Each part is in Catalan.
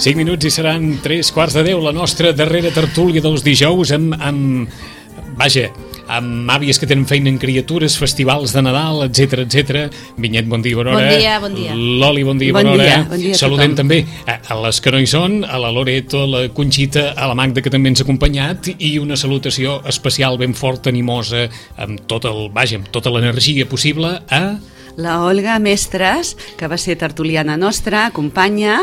5 minuts i seran 3:15, la nostra darrera tertúlia dels dijous amb àvies que tenen feina en criatures, festivals de Nadal, etc. Vinyet, bon dia, bona hora. Bon dia. Loli, bon dia, bona hora. Saludem també a les que no hi són, a la Loreto, a la Conxita, a la Magda, que també ens ha acompanyat, i una salutació especial ben forta, animosa, amb tota l'energia possible a la Olga Mestres, que va ser tertuliana nostra, companya,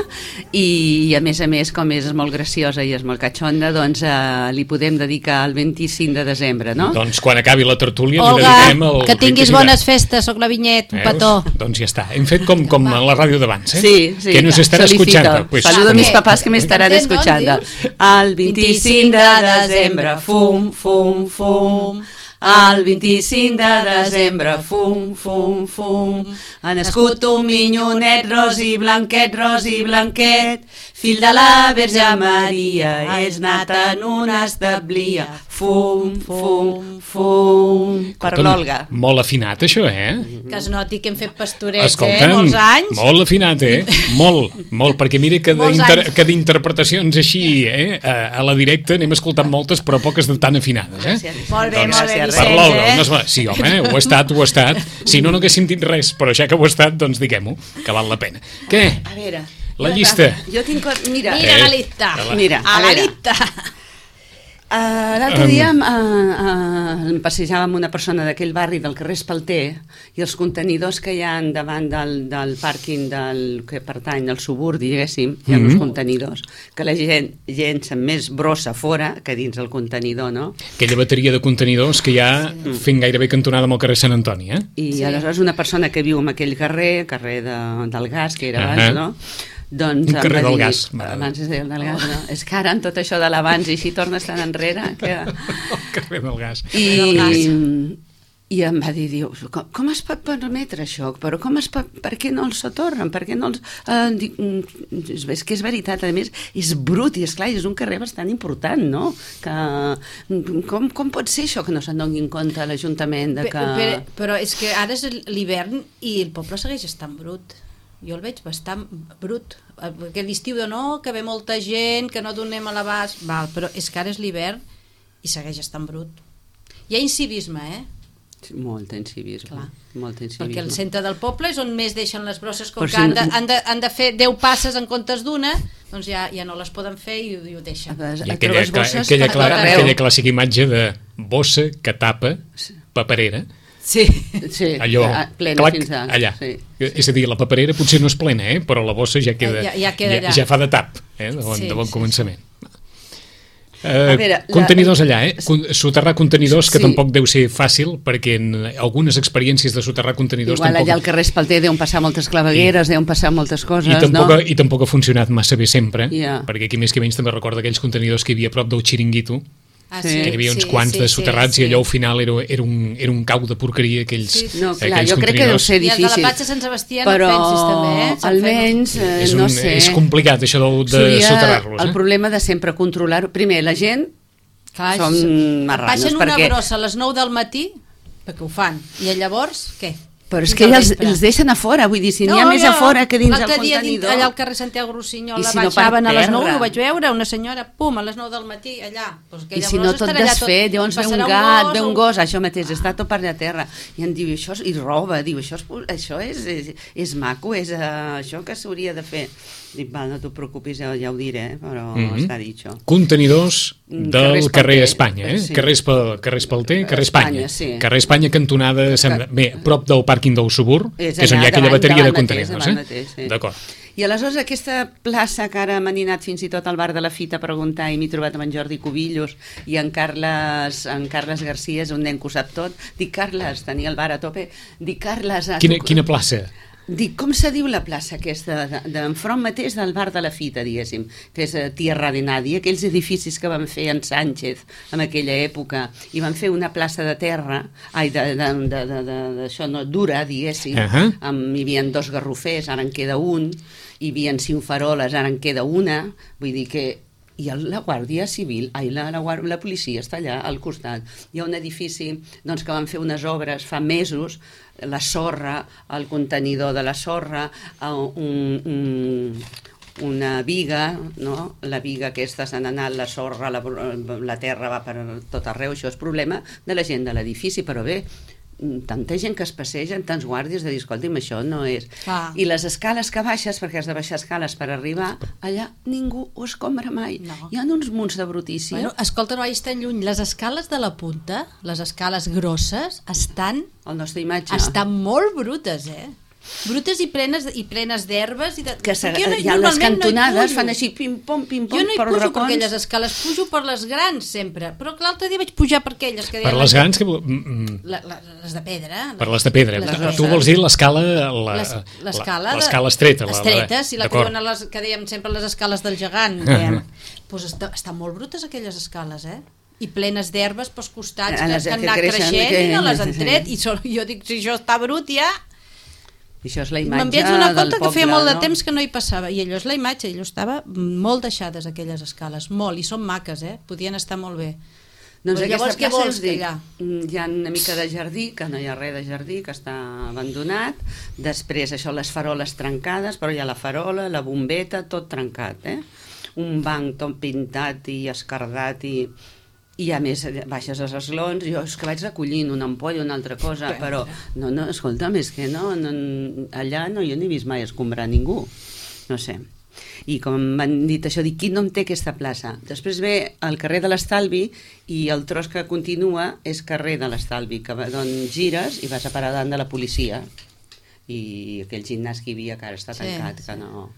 i a més, com és molt graciosa i és molt catxonda, doncs li podem dedicar el 25 de desembre, no? Doncs quan acabi la tertúlia Olga, li dediquem el... que tinguis bones festes, soc la Vinyet, un petó. Doncs ja està, hem fet com a la ràdio d'abans, Sí, que nos estarà escuchando. Pues, saludo a mis papás que me estarán escuchando. El 25 de desembre, fum, fum, fum. El 25 de desembre, fum, fum, fum, ha nascut un minyonet ros i blanquet, fill de la Verge Maria, és nat en una establia, fum, fum, fum, per l'Olga. Molt afinat, això, Que es noti que hem fet pastorets, escolta'm, molts anys. Molt afinat, molt, perquè mira que d'interpretacions així, a la directa n'hem escoltat moltes, però poques de tan afinades, Molt bé, per l'Olga, sí, home, ho ha estat. Si no haguéssim dit res, però ja que ho ha estat, doncs diguem-ho, que val la pena. Què? A veure... La llista. Jo tinc... Mira la llista. A la llista. L'altre dia em passejava amb una persona d'aquell barri del carrer Espalter i els contenidors que hi ha davant del pàrquing que pertany al suburbi, diguéssim, hi ha uns contenidors que la gent llença més brossa fora que dins el contenidor, no? Aquella bateria de contenidors que hi ha fent gairebé cantonada amb el carrer Sant Antoni, I aleshores una persona que viu en aquell carrer del gas, que era abans, no? Doncs un carrer del gas. Abans es deia el del gas, no? És que ara amb tot això de l'abans i així tornes tan enrere que... El carrer del gas. I em va dir, dius, com es pot permetre això? Però per què no els sotorren? Per què no els... és que és veritat, a més, és brut i esclar, és un carrer bastant important, no? Com pot ser això que no se'n doni en compte a l'Ajuntament de que... Però és que ara és l'hivern i el poble segueix estant brut. Jo el veig bastant brut, que l'estiu que ve molta gent, que no donem a l'abast, però és que ara és l'hivern i segueix estant brut. Hi ha incivisme, Molt incivisme. Perquè el centre del poble és on més deixen les brosses, com que han de fer 10 passes en comptes d'una, doncs ja no les poden fer i ho deixen. I aquella clàssica imatge de bossa que tapa paperera. Sí, allò, plena fins allà. Sí. És a dir, la paperera potser no és plena, però la bossa ja queda, ja fa de tap, de bon començament. Contenidors allà, soterrar contenidors, que tampoc deu ser fàcil, perquè en algunes experiències de soterrar contenidors... Igual allà al carrer Espalter deuen passar moltes clavegueres, deuen passar moltes coses, no? I tampoc ha funcionat massa bé sempre, perquè aquí més que menys també recorda aquells contenidors que hi havia a prop del Xiringuito, que hi havia uns quants de soterrats i allò al final era un cau de porqueria aquells contenidors. Jo crec que deu ser difícil. I el de la Platja Sant Sebastià no pensis també, almenys, no sé. És complicat això de soterrar-los. El problema de sempre controlar-ho. Primer, la gent són marranos. Baixen una brossa a les 9 del matí, perquè ho fan, i llavors, què? Però és que els deixen a fora, vull dir, si n'hi ha més a fora que dins el contenidor. Allà al carrer Santiago Rossinyol baixaven a les 9, ho vaig veure, una senyora, pum, a les 9 del matí, allà. I si no tot desfet, llavors ve un gat, ve un gos, això mateix, està tot per allà a terra, i em diu, això, i roba, diu, això és maco, és això que s'hauria de fer. Dic, no t'ho preocupis, ja ho diré, però està dit això. Contenidors del carrer Espanya, carrer Espalter, carrer Espanya. Carrer Espanya, cantonada, bé, prop del pàrquing del Subur, que és on hi ha aquella bateria de contenidors. D'acord. I aleshores aquesta plaça que ara m'han anat fins i tot al bar de la Fita a preguntar i m'he trobat amb en Jordi Cubillos i en Carles Garcia, és un nen que ho sap tot. Dic, Carles, tenia el bar a tope. Dic, Carles... Quina plaça? Dic, com se diu la plaça aquesta d'enfront mateix del bar de la Fita, diguéssim, que és Tierra de Nadie, aquells edificis que van fer en Sánchez en aquella època, i van fer una plaça de terra, d'això no, dura, diguéssim, hi havia 2 garrofers, ara en queda un, hi havia 5 faroles, ara en queda una, vull dir que... I la Guàrdia Civil, la policia està allà al costat. Hi ha un edifici que van fer unes obres fa mesos, la sorra, el contenidor de la sorra, una viga, no? La viga aquesta s'ha anat, la sorra, la terra va per tot arreu, això és problema de la gent de l'edifici, però bé, tanta gent que es passeja, tants guàrdies de dir, escolti'm, això no és... I les escales que baixes, perquè has de baixar escales per arribar, allà ningú ho escombra mai. Hi ha uns munts de brutícia. Bueno, escolta, no vagis tan lluny. Les escales de la punta, les escales grosses, estan... El nostre imatge. Estan molt brutes, brutes i plenes d'herbes que hi ha les cantonades fan així pim-pom jo no hi pujo per aquelles escales, pujo per les grans sempre, però l'altre dia vaig pujar per aquelles que per les grans que... les de pedra per les de pedra, tu vols dir l'escala estreta sí, la que dèiem sempre les escales del gegant doncs estan molt brutes aquelles escales i plenes d'herbes pels costats que han anat creixent i no les han tret i jo dic, si això està brut ja això és la imatge m'envies una del compte poble, que feia molt de temps que no hi passava i allò és la imatge, allò estava molt deixades aquelles escales, molt, i són maques podien estar molt bé doncs llavors què vols dir? Hi ha una mica de jardí, que no hi ha res de jardí, que està abandonat, després això, les faroles trencades, però hi ha la farola, la bombeta, tot trencat un banc tot pintat i escardat i a més baixes els esglons, jo és que vaig recollint una ampolla o una altra cosa, però no, escolta'm, és que no, allà no, jo no he vist mai escombrar ningú, no sé. I com m'han dit això, dic, qui no em té aquesta plaça? Després ve el carrer de l'Estalvi i el tros que continua és carrer de l'Estalvi, d'on gires i vas a parar davant de la policia i aquell gimnàs que hi havia que ara està tancat, que no...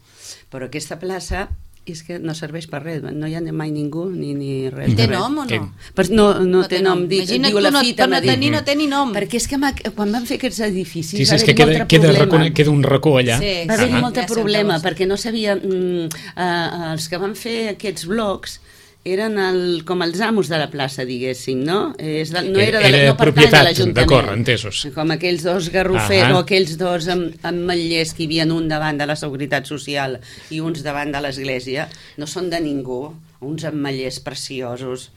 Però aquesta plaça és que no serveix per res, no hi ha mai ningú ni res. Té nom o no? No té nom, diu la fita. Per no tenir, no té ni nom. Perquè és que quan van fer aquests edificis va haver-hi molt problema. Queda un racó allà. Va haver-hi molt problema, perquè no sabia... Els que van fer aquests blocs eren com els amos de la plaça, diguéssim, no? No era propietat, d'acord, entesos. Com aquells dos garrofers o aquells dos ametllers que hi havia un davant de la Seguretat Social i uns davant de l'església, no són de ningú, uns ametllers preciosos.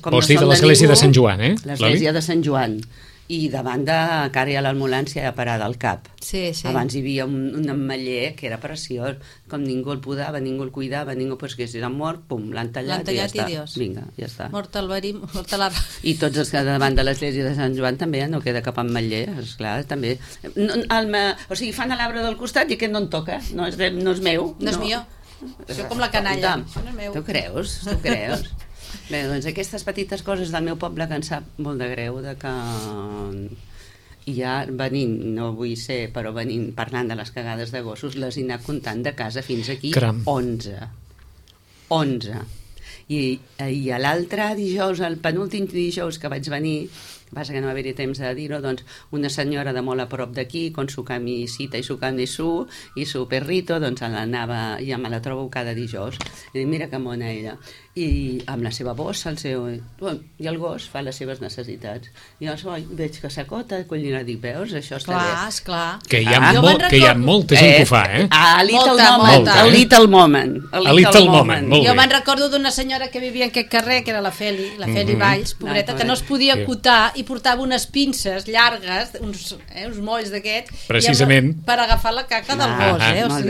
Vols dir de l'església de Sant Joan, L'església de Sant Joan. I davant de cara a l'ambulància a parar del cap. Abans hi havia un ametller que era preciós, com ningú el podava, ningú el cuidava, ningú, pues que si era mort, pum, l'han tallat i ja està. Vinga, ja està. Mort el verí, mort la... I tots els que davant de l'església de Sant Joan també no queda cap ametller, esclar, també. O sigui, fan a l'arbre del costat i aquest no en toca, no és meu. No és millor. Això com la canalla. Tu creus? Bé, doncs aquestes petites coses del meu poble que em sap molt de greu de que ja venint, no vull ser, però venint parlant de les cagades de gossos, les he anat comptant de casa fins aquí 11. I a l'altre dijous, el penúltim dijous que vaig venir, passa que no va haver-hi temps de dir-ho, doncs una senyora de molt a prop d'aquí, con su camisita i su camisú i su perrito, doncs l'anava, ja me la trobo cada dijous, i dic, mira que mona ella, i amb la seva bossa, i el gos fa les seves necessitats. I llavors veig que s'acota, collina, dic, veus, això està bé. Clar. Que hi ha molta gent que ho fa, A Little Moment. Jo me'n recordo d'una senyora que vivia en aquest carrer, que era la Feli Valls, pobreta, que no es podia acotar i portava unes pinces llargues, uns molls d'aquests, precisament per agafar la caca del gos.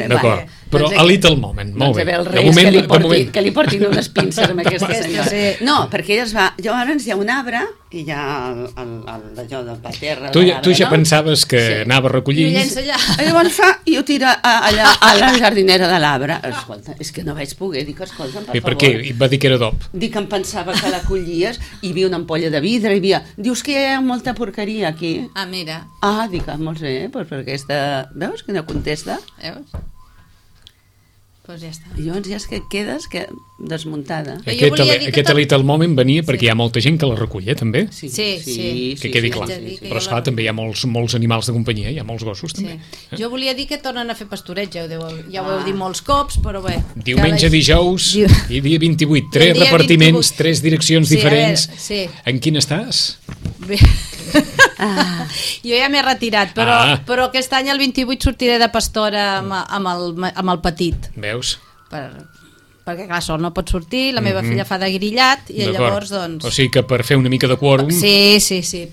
D'acord, però a Little Moment, molt bé. Doncs que li portin unes pinces amb aquesta senyora. No, perquè ella es va... Llavors hi ha un arbre i hi ha allò de la terra. Tu ja pensaves que anava a recollir... I llença allà. Llavors fa i ho tira allà a la jardinera de l'arbre. Escolta, és que no vaig poder. Dic, escolta, per favor. I per què? I va dir que era dop. Dic que em pensava que la collies, hi havia una ampolla de vidre, hi havia... Dius que hi ha molta porqueria aquí. Mira. Dic, molt bé, doncs per aquesta... Veus que no contesta? Veus? Pues ja està. I llavors ja és que quedes desmuntada. Aquest Little Moment venia perquè hi ha molta gent que la recull, també? Sí. Que quedi clar. Però esclar, també hi ha molts animals de companyia, hi ha molts gossos, també. Jo volia dir que tornen a fer pastureig, ja ho heu dit molts cops, però bé. Diumenge, dijous i dia 28. 3 repartiments, 3 direccions diferents. En quin estàs? Bé... Jo ja m'he retirat, però aquest any el 28 sortiré de pastora amb el petit. Veus? Perquè clar, sol no pot sortir, la meva filla fa de grillat i llavors doncs... O sigui que per fer una mica de quòrum... Sí,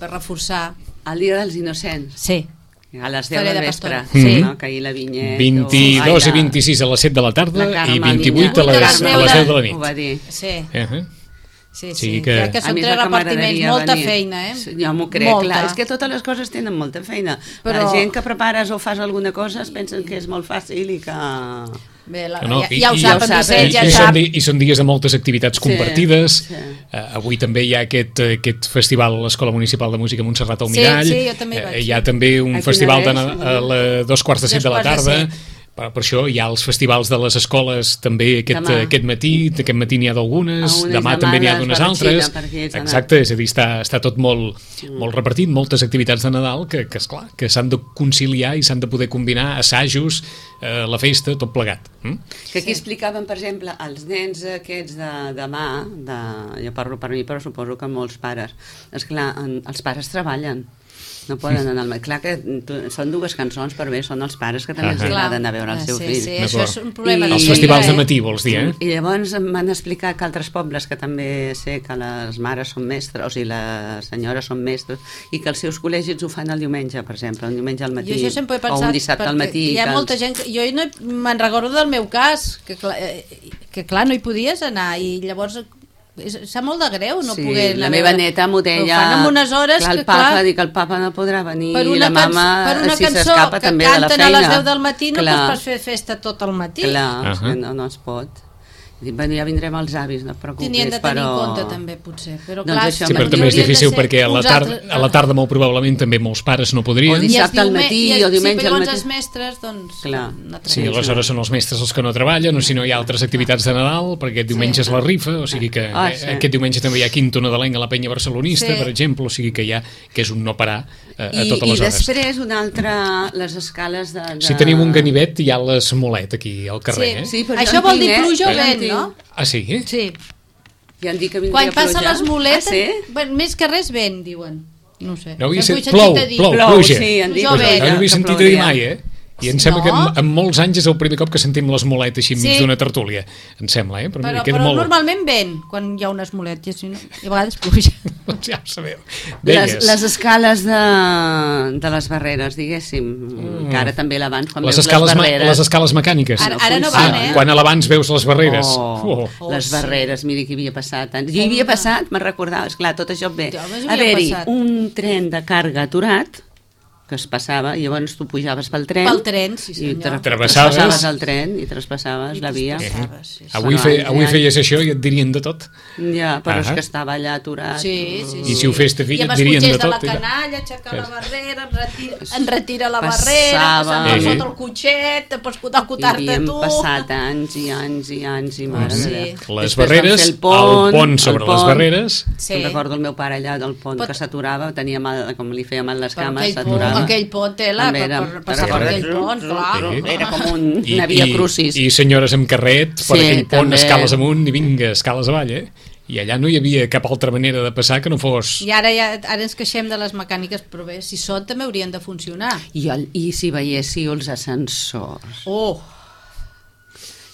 per reforçar. El dia dels innocents. Sí. A les 10 del vespre, que ahir la vinyeta... 22 i 26 a les 7 de la tarda i 28 a les 10 de la nit. Ho va dir. Sí. Sí, crec que són 3 repartiments, molta feina, Jo m'ho crec, clar, és que totes les coses tenen molta feina. La gent que prepares o fas alguna cosa es pensen que és molt fàcil i que... Bé, ja ho sap, i són dies de moltes activitats compartides. Avui també hi ha aquest festival a l'Escola Municipal de Música Montserrat al Mirall. Hi ha també un festival a 2:45 de la tarda. Per això hi ha els festivals de les escoles també aquest matí n'hi ha d'algunes, demà també n'hi ha d'unes altres. Exacte, és a dir, està tot molt repartit, moltes activitats de Nadal que esclar, que s'han de conciliar i s'han de poder combinar assajos, la festa, tot plegat. Que aquí explicaven, per exemple, els nens aquests de demà, jo parlo per mi, però suposo que molts pares, esclar, els pares treballen, no poden anar al matí. Clar que són dues cançons, però bé, són els pares que també els agraden a veure el seu fill. Sí, això és un problema. Els festivals de matí, vols dir, I llavors m'han explicat que altres pobles, que també sé que les mares són mestres i les senyores són mestres, i que els seus col·legis ho fan el diumenge, per exemple, un diumenge al matí, o un dissabte al matí. Hi ha molta gent... Jo me'n recordo del meu cas, que clar, no hi podies anar, i llavors... Sap molt de greu no poder anar. La meva neta m'ho deia, ho fan en unes hores que el papa no podrà venir i la mama si s'escapa també de la feina. Per una cançó que canten a les 10 del matí no pots fer festa tot el matí. Clar, no es pot. Bueno, ja vindrem els avis, no et preocupis. Tenien de tenir en compte també, potser. Però clar, sí, però també és difícil perquè a la tarda molt probablement també molts pares no podrien. O dissabte al matí o diumenge al matí. Els mestres, doncs... Sí, aleshores són els mestres els que no treballen, o si no hi ha altres activitats de Nadal, perquè aquest diumenge és la rifa, o sigui que aquest diumenge també hi ha quinto nadalenc a la penya barcelonista, per exemple, o sigui que és un no parar a totes les hores. I després una altra, les escales de... Si tenim un ganivet hi ha l'Esmolet aquí al carrer. Això vol dir pluja o vent, no? Ah, sí? Sí. Ja han dit que vindria pluja. Quan passa les moletes, més que res vent, diuen. No ho sé. Plou, pluja. Sí, han dit. No havia sentit a dir mai, I em sembla que en molts anys és el primer cop que sentim l'esmolet així enmig d'una tertúlia. Em sembla, Però normalment vent, quan hi ha una esmolet, i a vegades pluja. Ja ho sabeu. Les escales de les barreres, diguéssim, que ara també l'abans, quan veus les barreres... Les escales mecàniques. Ara no van, Quan a l'abans veus les barreres. Les barreres, mira que hi havia passat. Jo hi havia passat, me'n recordava, esclar, tot això ve. Haver-hi un tren de càrrega aturat, que es passava, i llavors tu pujaves pel tren. Pel tren, sí senyor. I traspassaves el tren i traspassaves la via. Avui feies això i et dirien de tot. Ja, però és que estava allà aturat. I si ho fes ta filla et dirien de tot. I amb els cotxers de la canalla, aixecar la barrera, enretira la barrera, passar sota el cotxet, te pots acotar-te tu. Havíem passat anys i anys i anys i mare de Déu. Les barreres, el pont sobre les barreres. Em recordo el meu pare allà del pont que s'aturava, tenia mal, com li feia mal les cames, s'aturava. Aquell pont, per passar per aquell pont, clar. Era com una via crucis. I senyores amb carret per aquell pont, escales amunt i vinga, escales avall, I allà no hi havia cap altra manera de passar que no fos... I ara ens queixem de les mecàniques, però bé, si són també haurien de funcionar. I si veiéssiu els ascensors.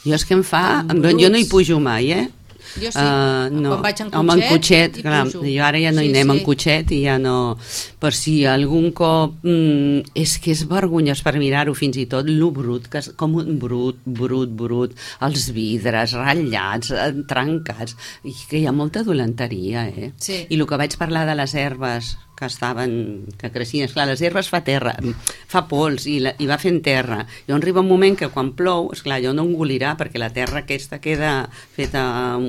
Jo és que em fa... Jo no hi pujo mai, Jo sí, quan vaig en cotxet, clar, jo ara ja no hi anem en cotxet i ja no... Per si algun cop és que és vergonyós per mirar-ho fins i tot, lo brut, com un brut, els vidres ratllats, trencats, i que hi ha molta dolenteria, Sí. I el que vaig parlar de les herbes que creixien, esclar, les herbes fa pols i va fent terra, i on arriba un moment que quan plou, esclar, allò no engolirà perquè la terra aquesta queda feta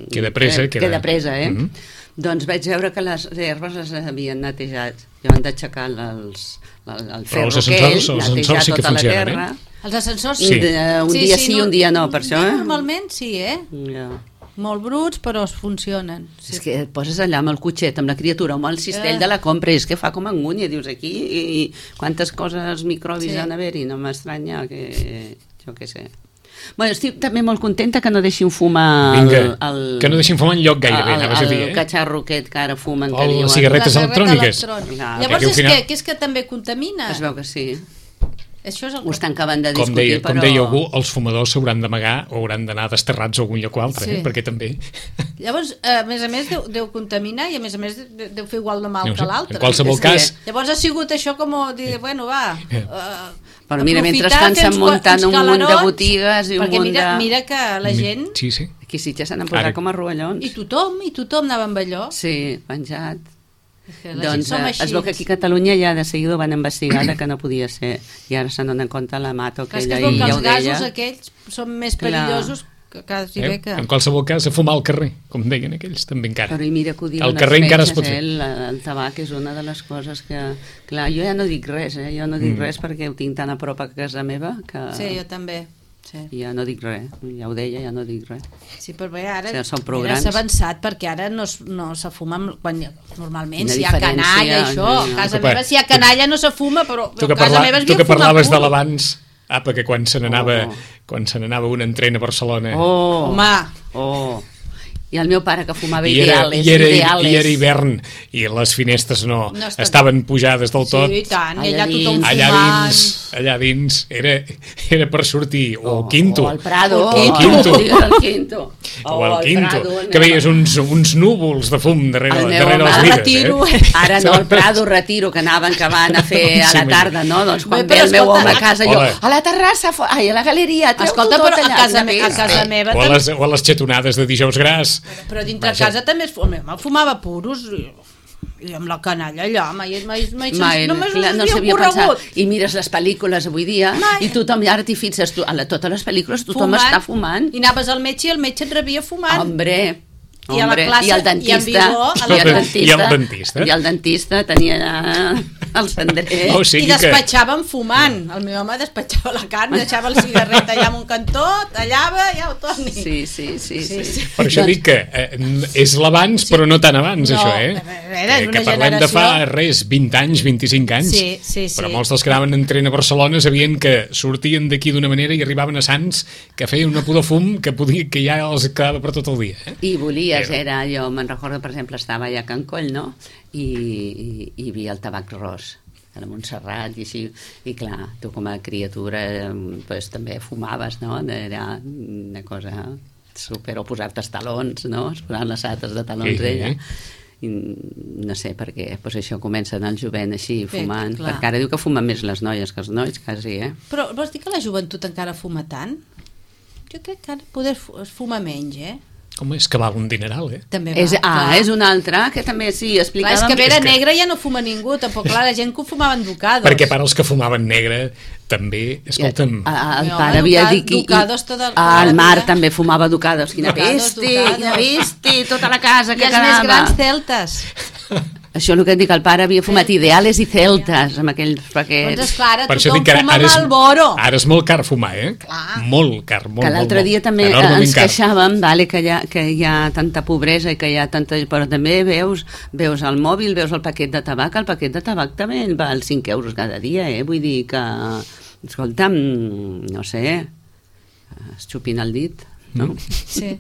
queda presa, Doncs vaig veure que les herbes les havien netejat, i van d'aixecar el ferro aquell, netejar sí tota la terra. Els ascensors sí. Un dia sí, un dia no, per això, Normalment sí, Ja. Molt bruts, però funcionen. És que et poses allà amb el cotxet, amb la criatura, amb el cistell de la compra, és que fa com angúnia, dius aquí, i quantes coses microbis han d'haver-hi, no m'estranya que... jo què sé. Bueno, estic també molt contenta que no deixin fumar... que no deixin fumar enlloc gairebé, anaves a dir, El catxarro aquest que ara fumen. O les cigarretes electròniques. Llavors, què és que també contamina? Es veu que sí. Això és el Ho estan acabant de discutir, com deia algú, els fumadors s'hauran d'amagar o hauran d'anar desterrats a algun lloc o altre, Sí. perquè també... Llavors, a més, deu contaminar i a més deu fer igual de mal que l'altre. En qualsevol cas... Llavors ha sigut això com dir, bueno, va... Però mira, mentrestant s'han muntat un munt de botigues i un munt de... Mira que la gent... Sí. Aquí sí ja s'han posat com a rovellons. I tothom anava amb allò. Sí, penjat. Doncs es veu que aquí a Catalunya ja de seguida ho van investigar que no podia ser, i ara se n'han compte la mato aquella i ja ho deia. Els gasos aquells són més perillosos que quasi bé que... En qualsevol cas, a fumar al carrer, com deien aquells, també encara. Però mira que ho diuen al carrer encara es pot fer. El tabac és una de les coses que... Clar, jo ja no dic res, jo no dic res perquè ho tinc tan a prop a casa meva que... Sí, jo també. Sí. Ja no dic res, ja ho deia, ja no dic res. Sí, però bé, ara s'ha avançat perquè ara no se fuma quan, normalment si hi ha canalla i això, a casa meva si hi ha canalla no se fuma, però a casa meva es tu que parlaves de l'abans, apa, que quan se n'anava un entren a Barcelona home i el meu pare que fumava i ideales era hivern i les finestres no estaven pujades del tot. Sí, i tant, i allà tothom fumant. Allà dins era per sortir o al Quinto o al Prado o al Quinto que veies uns núvols de fum darrere les vides. Ara no, al Prado retiro, que anaven que van a fer a la tarda, no? Doncs quan ve el meu home a casa jo, a la terrassa, a la galeria, escolta, però a casa meva o a les xetonades de dijous gras. Però dintre casa també fumava puros i amb la canalla allà no s'havia pensat. I mires les pel·lícules avui dia i tothom, ara t'hi fixes, a totes les pel·lícules tothom està fumant. I anaves al metge i el metge et rebia fumant. Hombre, i a la classe, i el dentista, i el dentista tenia el cendrer i despatxàvem fumant. El meu home despatxava la carn, deixava el cigarret allà en un cantó, tallava i ja ho torni. Sí. Per això dic que és l'abans, però no tan abans, això, que parlem de fa 20 anys, 25 anys, però molts dels que anaven entrant a Barcelona sabien que sortien d'aquí d'una manera i arribaven a Sants, que feien una pudor fum que ja els quedava per tot el dia. I volia jo me'n recordo, per exemple, estava allà a Can Coll, no? I hi havia el tabac ros a la Montserrat i així, i clar, tu com a criatura pues, també fumaves, no? Era una cosa super, o posar-te els talons, no? Es posaven les sates de talons d'ella. I no sé per què, pues això comencen el jovent així fumant, perquè ara diu que fumen més les noies que els nois, quasi, Però vols dir que la joventut encara fuma tant? Jo crec que ara poder fuma menys, Home, és que val un dineral, També va, és una altra, que també sí, explicàvem... Clar, és que vera negra ja no fuma ningú, tampoc, clar, la gent que ho fumaven Ducados. Perquè per als que fumaven negre, també, escolta'm... El pare havia dit que... El Marc també fumava Ducados, quina peste, tota la casa que quedava. I els més grans celtes. Això és el que et dic, el pare havia fumat ideales i celtes amb aquells paquets. Doncs esclar, tothom fuma Malboro. Ara és molt car fumar, Molt car, molt. Que l'altre dia també ens queixàvem que hi ha tanta pobresa i que hi ha tanta... Però també veus el mòbil, veus el paquet de tabac, el paquet de tabac també val 5 euros cada dia, Vull dir que, escolta'm, no sé, es xupin el dit, no? Sí.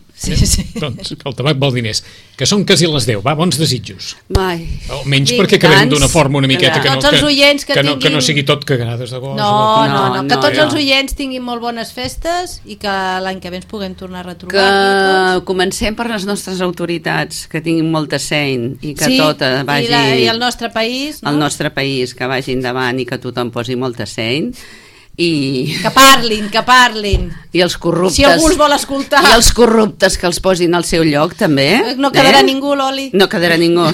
Doncs el tabac vol diners. Que són quasi les 10, va, bons desitjos. Almenys Vinc, perquè acabem d'una forma una miqueta que no sigui tot cagades de gos. No, que tots els oients tinguin molt bones festes i que l'any que ve ens puguem tornar a retrobar. Que comencem per les nostres autoritats, que tinguin molta feina i que tot vagi... I el nostre país, no? El nostre país, que vagi endavant i que tothom posi molta feina. Que parlin i els corruptes, si algú els vol escoltar, i els corruptes que els posin al seu lloc també, no quedarà ningú, l'oli, no quedarà ningú,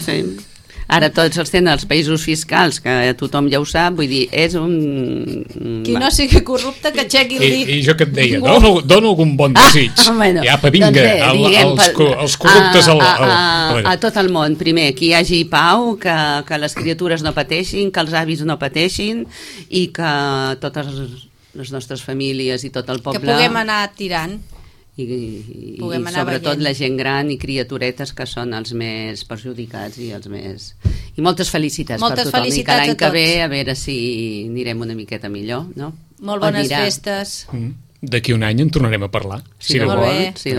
ara tots els tenen els països fiscals, que tothom ja ho sap, vull dir, és un... Qui no sigui corrupte, que aixequi el dit. I jo que et deia, dono algun bon desig. Bueno, ja, vinga, els corruptes a tot el món. Primer, que hi hagi pau, que les criatures no pateixin, que els avis no pateixin i que totes les nostres famílies i tot el poble... Que puguem anar tirant. I sobretot la gent gran i criaturetes que són els més perjudicats i els més... I moltes felicitats per tothom i que l'any que ve a veure si anirem una miqueta millor, no? Molt bones festes. D'aquí un any en tornarem a parlar, si Déu vol. Si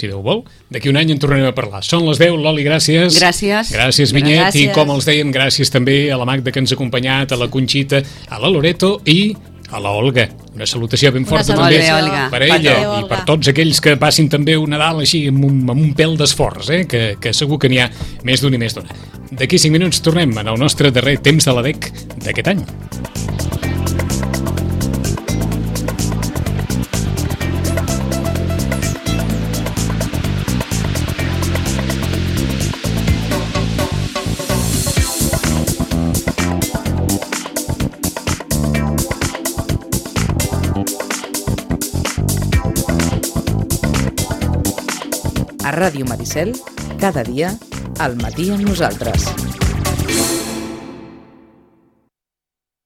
Déu vol. D'aquí un any en tornarem a parlar. Són les 10, Loli, gràcies. Gràcies, Vinyet, i com els deien, gràcies també a la Magda que ens ha acompanyat, a la Conxita, a la Loreto i a la Olga. Una salutació ben forta salutació. també Olga. per ella Olga. i per tots aquells que passin també un Nadal així amb un pèl d'esforç, que segur que n'hi ha més d'un i més d'una. D'aquí 5 minuts tornem en el nostre darrer temps de la DEC d'aquest any. A Ràdio Maricel, cada dia, al matí amb nosaltres.